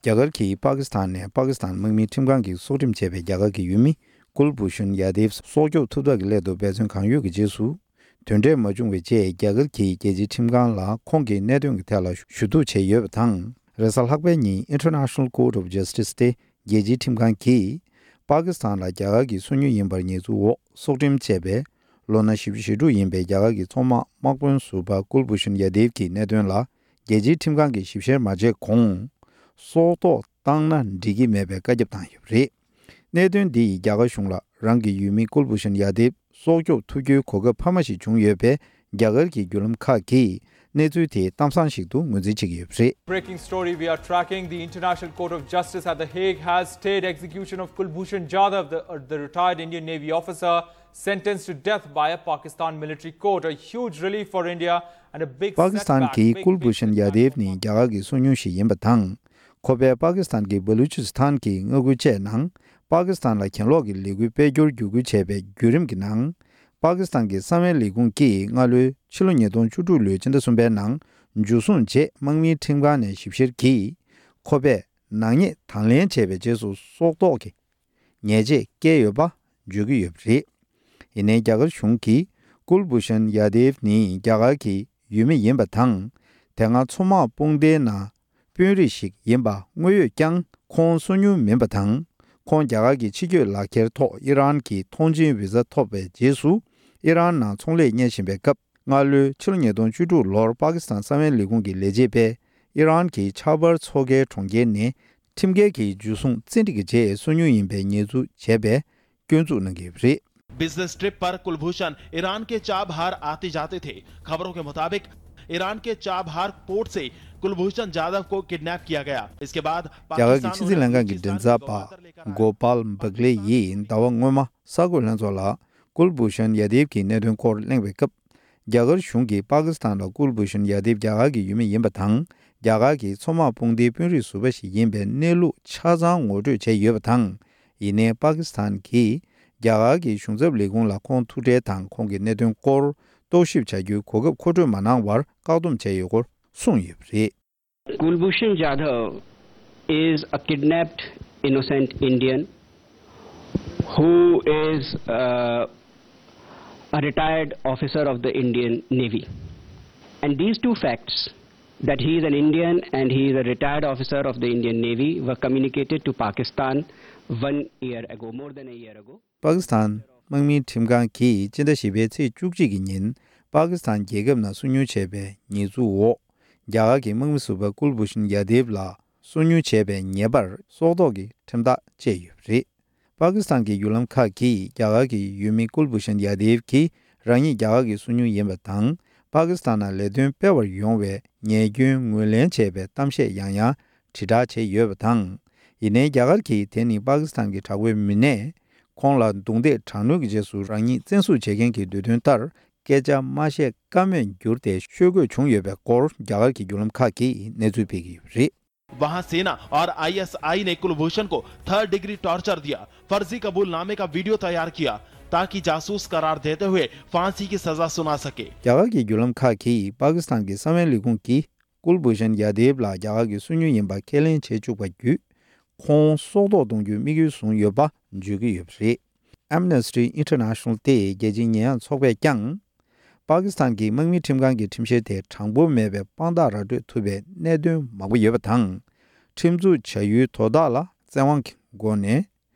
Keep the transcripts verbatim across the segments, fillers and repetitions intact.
རྒྱ་གར་གྱིས་པ་ཀི་སི་ཐན་ནས་པ་ཀི་སི་ཐན་དམག་མིའི་ཁྲིམས་ཁང་གིས་སྲོག་ཁྲིམས་བཅད་པའི་རྒྱ་གར་གྱི་ཡུལ་མི་ཀུལ་བྷུ་ཤན་ཡ་དེབ་སྲོག་སྐྱོབ་ཐུབ་ཐབས་ཀྱི་སླད་དུ་འབད་བརྩོན་གང་ཡོད་ཀྱི་རྗེས་སུ། དོན་འབྲས་མ་བྱུང་བའི་རྗེས་རྒྱ་གར་གྱིས་རྒྱལ་སྤྱིའི་ཁྲིམས་ཁང་ལ་ཁོང་གི་གནད་དོན་གྱི་ཐད་ལ་ཞུ་གཏུག་བྱས་ཡོད་པ་དང་། རེས་གཟའ་ལྷག་པའི་ཉིན་International Court of Justice སྟེ་རྒྱལ་སྤྱིའི་ཁྲིམས་ཁང་གིས་པ་ཀི་སི་ཐན་ལ་རྒྱ་གར་གྱི་སོ་ཉུལ་ཡིན་པར་ཉེས་འཛུགས་འོག་སྲོག་ཁྲིམས་བཅད་པའི་ལོ་ན་བཞི་བཅུ་ཞེ་དྲུག་ཡིན་པའི་རྒྱ་གར་གྱི་མཚོ་དམག་དམག་དཔོན་ཟུར་པ་ཀུལ་བྷུ་ཤན་ཡ་དེབ་ཀྱི་གནད་དོན་ལ་རྒྱལ་སྤྱིའི་ཁྲིམས་ཁང་གིས་ཞིབ་བཤེར་མ་བྱས་གོང་སྲོག་ཐོག་བཏང་ན་འགྲིག་གི་མེད་པའི་བཀའ་ཁྱབ་བཏང་ཡོད་པ་རེད། གནད་དོན་འདི་ཡིས་རྒྱ་གར་གཞུང་ལ་རང་གི་ཡུལ་མི་ཀུལ་བྷུ་ཤན་ཡ་དེབ་སྲོག་སྐྱོབ་ཐུབ་རྒྱུའི་གོ་སྐབས་འཕར་མ་ཞིག་བྱུང་ཡོད་པས། རྒྱ་གར་གྱི་བརྒྱུད་ལམ་ཁག་གིས་གནས་ཚུལ་དེ་གཏམ་བཟང་ཞིག་ཏུ་ངོས་འཛིན་བྱེད་ཀྱི་ཡོད་པ་རེད། Breaking story we are tracking. The International Court of Justice at The Hague has stayed execution of Kulbhushan Jadhav, the, uh, the retired Indian Navy officer sentenced to death by a Pakistan military court. A huge relief for India and a big setback. པ་ཀི་སི་ཐན་གྱིས་ཀུལ་བྷུ་ཤན་ཡ་དེབ་ནི་རྒྱ་གར་གྱི་སོ་ཉུལ་ཞིག་ཡིན་པ་དང་། ཁོ་པས་པ་ཀི་སི་ཐན་གྱི་བ་ལུ་ཅི་སི་ཐན་གྱི་མངའ་ཁུལ་བཅས་ནང་པ་ཀི་སི་ཐན་ལ་གྱེན་ལོག་གི་ལས་འགུལ་སྤེལ་རྒྱུར་བརྒྱུད་སྐུལ་བྱས་པའི་བརྒྱུད་རིམ་གྱི་ནང་། པ་ཀི་སི་ཐན་གྱི་གསང་བའི་ལས་ཁུངས་ཀྱིས་སྔ་ལོའི་ཕྱི་ལོ་ཉིས་སྟོང་བཅུ་དྲུག་ལོའི་སྤྱི་ཟླ་གསུམ་པའི་ནང་འཇུ་བཟུང་རྗེས་དམག་མིའི་ཁྲིམས་ཁང་ནས་ཞིབ་བཤེར་གྱིས་ཁོ་པས་ནག་ཉེས་དང་ལེན་བྱས་པའི་རྗེས་སུ་སྲོག་ཐོག་གི་ཉེས་ཆད་བཀལ་ཡོད་པ་བརྗོད་ཀྱི་ཡོད་པ་རེད། ཡིན་ནའི་རྒྱ་གར་གཞུང་གིས་ཀུལ་བྷུ་ཤན་ཡ་དེབ་ནི་རྒྱ་གར་གྱི་ཡུལ་མི་ཡིན་པ་དང་། དེ་སྔ་མཚོ་དམག་དཔུང་སྡེའི་ནང་དཔོན་རིགས་ཤིག་ཡིན་པ་དངོས་ཡོད་ཀྱང་ཁོང་སོ་ཉུལ་མིན་པ་དང་། ཁོང་རྒྱ་གར་གྱི་ཕྱི་སྐྱོད་ལག་འཁྱེར་ཐོག་ཨི་རན་གྱི་ཐོངས་མཆན་བི་ཟ་ཐོབ་པའི་རྗེས་སུ་ཨི་རན་ནང་ཚོང་ལས་གཉེར་བཞིན་པའི་སྐབས། སྔ་ལོའི་ཕྱི་ལོ་ཉིས་སྟོང་བཅུ་དྲུག་ལོར་པ་ཀི་སི་ཐན་གསང་བའི་ལས་ཁུངས་ཀྱི་ལས་བྱེད་པས་ཨི་རན་གྱི་ཆ་བར་མཚོ་ཁའི་གྲོང་ཁྱེར་ནས་ཁྲིམས་འགལ་གྱིས་འཇུ་བཟུང་བཙན་ཁྲིད་ཀྱི་རྗེས་སོ་ཉུལ་ཡིན་པའི་ཉེས་འཛུགས་བྱས་པའི་སྐྱོན་འཛུགས་གནང་གི་ཡོད་པ་རེད། business trip पर कुलभूषण ईरान के चाबहार आते जाते थे। खबरों के मुताबिक ईरान के Chabahar port से कुलभूषण जाधव को किडनैप किया गया। इसके बाद རྒྱ་གར་གྱི་ཕྱི་སྲིད་ལྷན་ཁང་གི་མགྲིན་ཚབ་པ་གོ་པལ་བྷག་ལེ་ཡིས་ཟླ་བ་སྔོན་མ་གསར་འགོད་ལྷན་ཚོགས་ལ་ཀུལ་བྷུ་ཤན་ཡ་དེབ་ཀྱི་གནད་དོན་སྐོར་གླེང་བའི་སྐབས། རྒྱ་གར་གཞུང་གིས་པ་ཀི་སི་ཐན་ལ་ཀུལ་བྷུ་ཤན་ཡ་དེབ་རྒྱ་གར་གྱི་ཡུལ་མི་ཡིན་པ་དང་། རྒྱ་གར་གྱི་མཚོ་དམག་དཔུང་སྡེའི་དཔོན་རིགས་ཟུར་པ་ཞིག་ཡིན་པའི་གནས་ལུགས་ཆ་ཚང་ངོ་སྤྲོད་བྱས་ཡོད་པ་དང་། ཡིན་ནའི་པ་ཀི་སི་ཐན་གྱིས་རྒྱ་གར་གྱི་གཞུང་ཚབ་ལས་ཁུངས་ལ་ཁོང་ཐུག་འཕྲད་དང་ཁོང་གི་གནད་དོན་སྐོར་རྟོག་ཞིབ་བྱ་རྒྱུའི་གོ་སྐབས་མཁོ་སྤྲོད་མ་གནང་བར་བཀག་སྡོམ་བྱས་ཡོད་སྐོར་གསུངས་ཡོད་པ་རེད། Kulbhushan Jadhav is a kidnapped innocent Indian who is uh, a retired officer of the Indian Navy. And these two facts, that he is an Indian and he is a retired officer of the Indian Navy, were communicated to Pakistan one year ago, more than a year ago. པ་ཀི་སི་ཐན་དམག་མིའི་ཁྲིམས་ཁང་གིས་སྤྱི་ཟླ་བཞི་པའི་ཚེས་བཅུ་གཅིག་གི་ཉིན་པ་ཀི་སི་ཐན་རྒྱལ་ཁབ་ནང་སོ་ཉུལ་བྱས་པའི་ཉེས་འཛུགས་འོག་རྒྱ་གར་གྱི་དམག་མི་ཟུར་པ་ཀུལ་བྷུ་ཤན་ཡ་དེབ་ལ་སོ་ཉུལ་བྱས་པའི་ཉེས་པར་སྲོག་ཐོག་གི་ཁྲིམས་ཐག་བཅད་ཡོད་པ་རེད། པ་ཀི་སི་ཐན་གྱི་བརྒྱུད་ལམ་ཁག་གིས་རྒྱ་གར་གྱི་ཡུལ་མི་ཀུལ་བྷུ་ཤན་ཡ་དེབ་ཀྱིས་རང་ཉིད་རྒྱ་གར་གྱི་སོ་ཉུལ་ཡིན་པ་དང་། པ་ཀི་སི་ཐན་ནང་ལས་དོན་སྤེལ་བར་ཡོང་བའི་ཉེས་སྐྱོན་ངོས་ལེན་བྱས་པའི་གཏམ་བཤད་ཡང་ཡང་དྲིལ་བསྒྲགས་བྱས་ཡོད་པ་དང་། ཡིན་ནའི་རྒྱ་གར་གྱིས་དེ་ནི་པ་ཀི་སི་ཐན་གྱི་དྲག་པོའི་མི་སྣས་ཁོང་ལ་རྡུང་རྡེག་དྲག་གནོན་གྱི་རྗེས་སུ་རང་ཉིད་བཙན་བཟུང་བྱེད་མཁན་གྱི་འདོད་དོན་ལྟར་སྐད་ཆ་མ་བཤད་ཀ་མེད་གྱུར་ཏེ་ཤོད་དགོས་བྱུང་ཡོད་པའི་སྐོར་རྒྱ་གར་གྱི་བརྒྱུད་ལམ་ཁག་གིས་གནས་ཚུལ་སྤེལ་གྱི་ཡོད་པ་རེད། वहां सेना और आईएसआई ने कुलभूषण को third degree torture दिया, फर्जी कबूलनामे का वीडियो तैयार किया ताकि जासूस करार देते हुए फांसी की सजा सुना सके। རྒྱ་གར་གྱི་བརྒྱུད་ལམ་ཁག་གིས་པ་ཀི་སི་ཐན་གྱི་གསང་བའི་ལས་ཁུངས་ཀྱིས་ཀུལ་བྷུ་ཤན་ཡ་དེབ་ལ་རྒྱ་གར་གྱི་སོ་ཉུལ་ཡིན་པ་ཁས་ལེན་བྱེད་བཅུག་པ་བརྒྱུད། ཁོང་སྲོག་ཐོག་གཏོང་རྒྱུའི་དམིགས་ཡུལ་བཟུང་ཡོད་པ་བརྗོད་ཀྱི་ཡོད་པ་རེད། Amnesty International སྟེ་རྒྱལ་སྤྱིའི་ཉེས་ཡངས་ཚོགས་པས་ཀྱང་། པ་ཀི་སི་ཐན་གྱི་དམག་མི་ཁྲིམས་ཁང་གི་ཁྲིམས་བཤེར་དེ་དྲང་པོ་མེད་པའི་དཔང་རྟགས་ར་སྤྲོད་ཐུབ་པའི་གནད་དོན་མང་པོ་ཡོད་པ་དང་། ཁྲིམས་འཛུགས་བྱ་ཡུལ་དོ་བདག་ལ་བཙན་དབང་གི་སྒོ་ནས་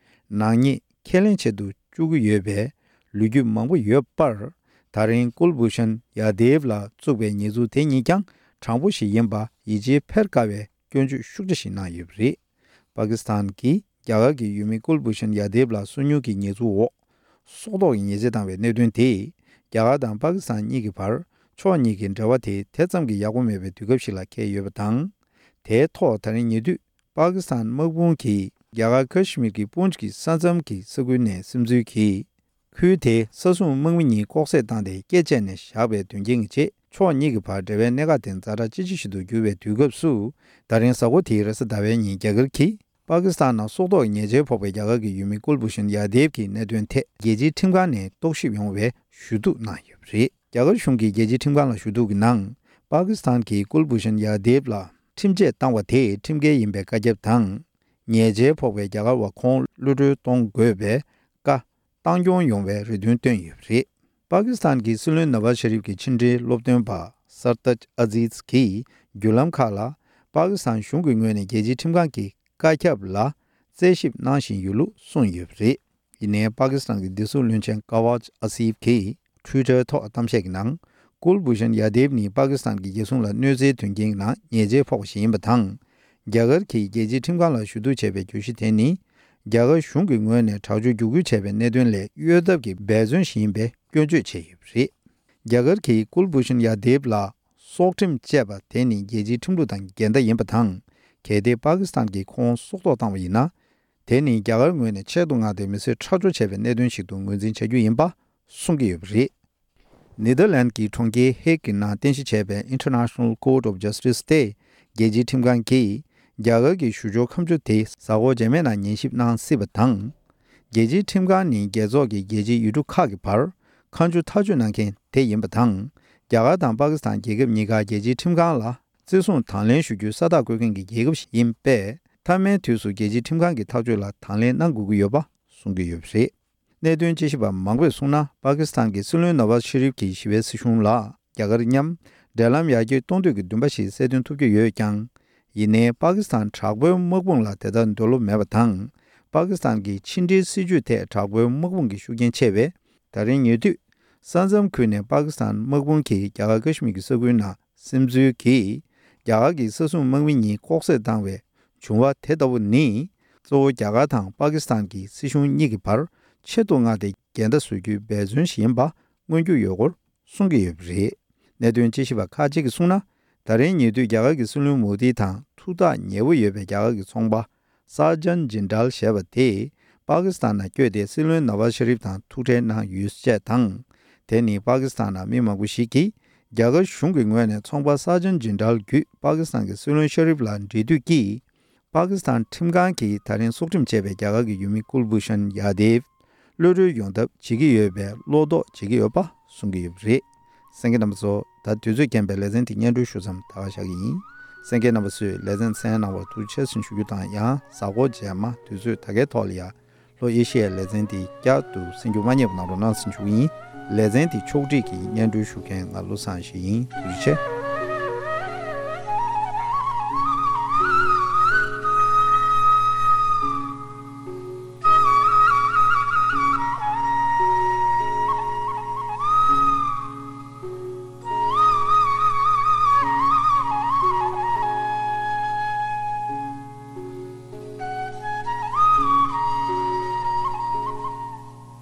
ནག་ཉེས་ཁས་ལེན་བྱེད་དུ་བཅུག་གི་ཡོད་པའི་ལོ་རྒྱུས་མང་པོ་ཡོད་པར། ད་རིང་ཀུལ་བྷུ་ཤན་ཡ་དེབ་ལ་བཙུགས་པའི་ཉེས་འཛུགས་དེ་ཉིད་ཀྱང་དྲང་པོ་ཞིག་ཡིན་པ་ཡིད་ཆེས་འཕེར་དཀའ་བའི་སྐྱོན་བརྗོད་ཤུགས་ཆེ་ཞིག་གནང་ཡོད་པ་རེད། པ་ཀི་སི་ཐན་གྱིས་རྒྱ་གར་གྱི་ཡུལ་མི་ཀུལ་བྷུ་ཤན་ཡ་དེབ་ལ་སོ་ཉུལ་གྱི་ཉེས་འཛུགས་འོག་སྲོག་ཐོག་གི་ཉེས་ཆད་བཏང་བའི་གནད་དོན་དེས་རྒྱ་གར་དང་པ་ཀི་སི་ཐན་གཉིས་ཀྱི་བར་ཕྱོགས་གཉིས་ཀྱི་འབྲེལ་བ་དེ་དེ་ཙམ་གྱིས་ཡག་པོ་མེད་པའི་དུས་སྐབས་ཤིག་ལ་འཁེལ་ཡོད་པ་དང་། དེའི་ཐོག་ད་རིང་ཉེ་དུས་པ་ཀི་སི་ཐན་དམག་དཔུང་གིས་རྒྱ་གར་ཁ་ཤི་མིར་གྱི་པུན་ཇི་གི་ས་མཚམས་ཀྱི་ས་ཁུལ་ནས་སིམ་འཛུལ་གྱིས། ཁུལ་དེའི་ས་སྲུང་དམག་མི་གཉིས་ལྐོག་བསད་བཏང་སྟེ་སྐེ་བཅད་ནས་བཞག་པའི་དོན་རྐྱེན་གྱི་རྗེས་ཕྱོགས་གཉིས་ཀྱི་བར་འབྲེལ་བའི་གནད་འགག་དེ་ཛ་དྲག་ཅི་ཆེ་ཞིག་ཏུ་གྱུར་བའི་དུས་སྐབས་སུ། ད་རིང་གཟའ་འཁོར་དེའི་རེས་གཟའ་ཟླ་བའི་ཉིན་རྒྱ་གར་གྱིས་པ་ཀི་སི་ཐན་ནང་སྲོག་ཐོག་ཉེས་ཆད་ཕོག་པའི་རྒྱ་གར་གྱི་ཡུལ་མི་ཀུལ་བྷུ་ཤན་ཡ་དེབ་ཀྱི་གནད་དོན་ཐད་རྒྱལ་སྤྱིའི་ཁྲིམས་ཁང་ནས་རྟོག་ཞིབ་ཡོང་བའི་ཞུ་གཏུག་གནང་ཡོད་པ་རེད། རྒྱ་གར་གཞུང་གིས་རྒྱལ་སྤྱིའི་ཁྲིམས་ཁང་ལ་ཞུ་གཏུག་གི་ནང་། པ་ཀི་སི་ཐན་གྱིས་ཀུལ་བྷུ་ཤན་ཡ་དེབ་ལ། ཁྲིམས་ཆད་བཏང་བ་དེ་ཁྲིམས་འགལ་ཡིན་པའི་བཀའ་ཁྱབ་དང་། ཉེས་ཆད་ཕོག་པའི་རྒྱ་གར་བ་ཁོང་གློད་གྲོལ་གཏོང་དགོས་པའི་བཀའ་བཏང་སྐྱོང་ཡོང་བའི་རེ་འདུན་བཏོན་ཡོད་པ་རེད། པ་ཀི་སི་ཐན་གྱི་སྲིད་བློན་ནཱ་ཝཱ་ཤ་རིབ་ཀྱི་ཕྱི་འབྲེལ་སློབ་སྟོན་པ་སར་ཏཱཇ་ཨ་ཛིས་ཀྱིས་བརྒྱུད་ལམ་ཁག་ལ་པ་ཀི་སི་ཐན་གཞུང་གི་ངོས་ནས་རྒྱལ་སྤྱིའི་ཁྲིམས་ཁང་གི་བཀའ་ཁྱབ་ལ་རྩད་ཞིབ་གནང་བཞིན་ཡོད་ལུགས་གསུངས་ཡོད་པ་རེད། ཡིན་ནའི་པ་ཀི་སི་ཐན་གྱི་བདེ་སྲུང་བློན་ཆེན་ཀ་ཝཱཇ་ཨ་སིབ་ཀྱིས་ཊུའི་ཊར་ཐོག་གཏམ་བཤད་ཀྱི་ནང་། ཀུལ་བྷུ་ཤན་ཡ་དེབ་ནི་པ་ཀི་སི་ཐན་གྱི་རྒྱལ་སྲུང་ལ་གནོད་འཚེའི་དོན་རྐྱེན་གྱི་ནང་ཉེས་ཆད་ཕོག་པ་ཞིག་ཡིན་པ་དང་། རྒྱ་གར་གྱིས་རྒྱལ་སྤྱིའི་ཁྲིམས་ཁང་ལ་ཞུ་གཏུག་བྱས་པའི་བརྗོད་གཞི་དེ་ནི། རྒྱ་གར་གཞུང་གི་ངོས་ནས་དྲག་སྤྱོད་བརྒྱུད་སྐུལ་བྱས་པའི་གནད་དོན་ལས་གཡོལ་ཐབས་ཀྱི་འབད་བརྩོན་ཞིག་ཡིན་པའི་སྐྱོན་བརྗོད་བྱས་ཡོད་པ་རེད། རྒྱ་གར་གྱིས་ཀུལ་བྷུ་ཤན་ཡ་དེབ་ལ་སྲོག་ཁྲིམས་བཅད་པ་དེ་ནི་རྒྱལ་སྤྱིའི་ཁྲིམས་ལུགས་དང་འགལ་ཟླ་ཡིན་པ་དང་། གལ་ཏེ་པ་ཀི་སི་ཐན་གྱིས་ཁོང་སྲོག་ཐོག་བཏང་བ་ཡིན་ན། དེ་ནི་རྒྱ་གར་ངོས་ནས་ཆེད་དུ་མངགས་ཏེ་མི་གསོད་ཁྲག་སྦྱོར་བྱས་པའི་གནད་དོན་ཞིག་ཏུ་ངོས་འཛིན་བྱ་རྒྱུ་ཡིན་པ་གསུང་གི་ཡོད་པ་རེད། ནེ་དར་ལན་གྱི་གྲོང་ཁྱེར་ཧེག་གི་ནང་རྟེན་གཞི་བྱས་པའི་International Court of Justice་དེ་རྒྱལ་སྤྱིའི་ཁྲིམས་ཁང་གིས་རྒྱ་གར་གྱི་ཞུ་སྦྱོར་ཁ་མཆུ་དེ་གཟའ་འཁོར་རྗེས་མའི་ནང་ཉན་ཞིབ་གནང་སྲིད་པ་དང་། རྒྱལ་སྤྱིའི་ཁྲིམས་ཁང་ནི་རྒྱལ་ཚོགས་ཀྱི་རྒྱལ་སྤྱིའི་ཡུལ་གྲུ་ཁག་གི་བར་ཁ་མཆུ་ཐག་གཅོད་གནང་མཁན་དེ་ཡིན་པ་དང་། རྒྱ་གར་དང་པ་ཀི་སི་ཐན་རྒྱལ་ཁབ་གཉིས་ཀ་རྒྱལ་སྤྱིའི་ཁྲིམས་ཁང་ལ་བརྩི་སྲུང་དང་ལེན་ཞུ་རྒྱུའི་ས་རྟགས་བཀོད་མཁན་གྱི་རྒྱལ་ཁབ་ཞིག་ཡིན་པས། མཐའ་མའི་དུས་སུ་རྒྱལ་སྤྱིའི་ཁྲིམས་ཁང་གི་ཐག་གཅོད་ལ་དང་ལེན་གནང་དགོས་ཀྱི་ཡོད་པ་གསུང་གི་ཡོད་པ་རེད། གནད་དོན་དཔྱད་ཞིབ་པ་མང་པོས་གསུངས་ན། པ་ཀི་སི་ཐན་གྱི་སྲིད་བློན་ནཱ་ཝཱ་ཤ་རིབ་ཀྱིས་ཞི་བའི་སྲིད་གཞུང་ལ་རྒྱ་གར་མཉམ་འབྲེལ་ལམ་ཡར་རྒྱས་གཏོང་འདོད་ཀྱི་འདུན་པ་ཞིག་གསལ་སྟོན་ཐུབ་ཀྱི་ཡོད་ཀྱང་། ཡིན་ནའི་པ་ཀི་སི་ཐན་དྲག་པོའི་དམག་དཔུང་ལ་དེ་ལྟར་འདོད་བློ་མེད་པ་དང་། པ་ཀི་སི་ཐན་གྱི་ཕྱི་འབྲེལ་སྲིད་ཇུས་ཐད་དྲག་པོའི་དམག་དཔུང་གི་ཤུགས་རྐྱེན་ཆེ་བས། ད་རིང་ཉེ་དུས་ས་མཚམས་ཁུལ་ནས་པ་ཀི་སི་ཐན་དམག་དཔུང་གིས་རྒྱ་གར་ཀ་ཤི་མིར་གྱི་ས་ཁུལ་ནང་སིམ་འཛུལ་གྱིས་རྒྱ་གར་གྱི་ས་སྲུང་དམག་མི་གཉིས་ལྐོག་བསད་བཏང་བའི་བྱུང་བ་དེ་ལྟ་བུ་ནི། གཙོ་བོ་རྒྱ་གར་དང་པ་ཀི་སི་ཐན་གྱི་སྲིད་གཞུང་གཉིས་ཀྱི་བར་ཆེད་དུ་མངགས་ཏེ་འགལ་ཟླ་བཟོ་རྒྱུའི་འབད་བརྩོན་ཞིག་ཡིན་པ་མངོན་རྒྱུ་ཡོད་སྐོར་གསུང་གི་ཡོད་པ་རེད། གནད་དོན་དཔྱད་ཞིབ་པ་ཁག་ཅིག་གིས་གསུངས་ན། ད་རིང་ཉེ་དུས་རྒྱ་གར་གྱི་སྲིད་བློན་མོ་དི་དང་ཐུགས་ཐག་ཉེ་བོ་ཡོད་པའི་རྒྱ་གར་གྱི་ཚོང་པ་སཱ་ཇན་ཇིན་ཌལ་ཞེས་པ་དེས་པ་ཀི་སི་ཐན་ནང་བསྐྱོད་དེ་སྲིད་བློན་ནཱ་ཝཱ་ཤ་རིབ་དང་ཐུག་འཕྲད་གནང་ཡོད་ཅེས་དང་། དེ་ནི་པ་ཀི་སི་ཐན་ནང་མི་མང་པོ་ཞིག་གིས་རྒྱ་གར་གཞུང་གི་ངོས་ནས་ཚོང་པ་སཱ་ཇན་ཇིན་ཌལ་བརྒྱུད་པ་ཀི་སི་ཐན་གྱི་སྲིད་བློན་ཤ་རིབ་ལ་འབྲེལ་མཐུད་ཀྱིས། པ་ཀི་སི་ཐན་ཁྲིམས་ཁང་གིས་ད་རིང་སྲོག་ཁྲིམས་བཅད་པའི་རྒྱ་གར་གྱི་ཡུལ་མི་ཀུལ་བྷུ་ཤན་ཡ་དེབ་གློད་གྲོལ་ཡོང་ཐབས་བྱེད་ཀྱི་ཡོད་པའི་བློ་དོགས་བྱེད་ཀྱི་ཡོད་པ་གསུང་གི་ཡོད་པ་རེད། གསན་མཁན་རྣམ་པ་ཚོ། ད་དུས་ཚོད་རྐྱེན་པས་ལེ་ཚན་འདི་སྙན་སྒྲོན་ཞུ་མཚམས་ད་ག་བཞག་གི་ཡིན། གསན་མཁན་རྣམ་པ་ཚོས་ལེ་ཚན་གསན་གནང་བར་ཐུགས་རྗེ་ཆེ་ཞུ་རྒྱུ་དང་། ཡང་གཟའ་འཁོར་རྗེས་མ་དུས་ཚོད་ད་གའི་ཐོག་ལ་ཡ། ལྷོ་ཨེ་ཤི་ཡའི་ལེ་ཚན་འདི་བསྐྱར་དུ་གསན་རྒྱུ་མ་བསྙེལ་བ་གནང་རོགས་གནང་ཟེར་ཞུ་གི་ཡིན། ལེ་ཚན་འདི་ཕྱོགས་སྒྲིག་གིས་སྙན་སྒྲོན་ཞུ་མཁན་ང་བློ་བཟང་ཡེ་ཤེས་ཡིན། ཐུགས་རྗེ་ཆེ།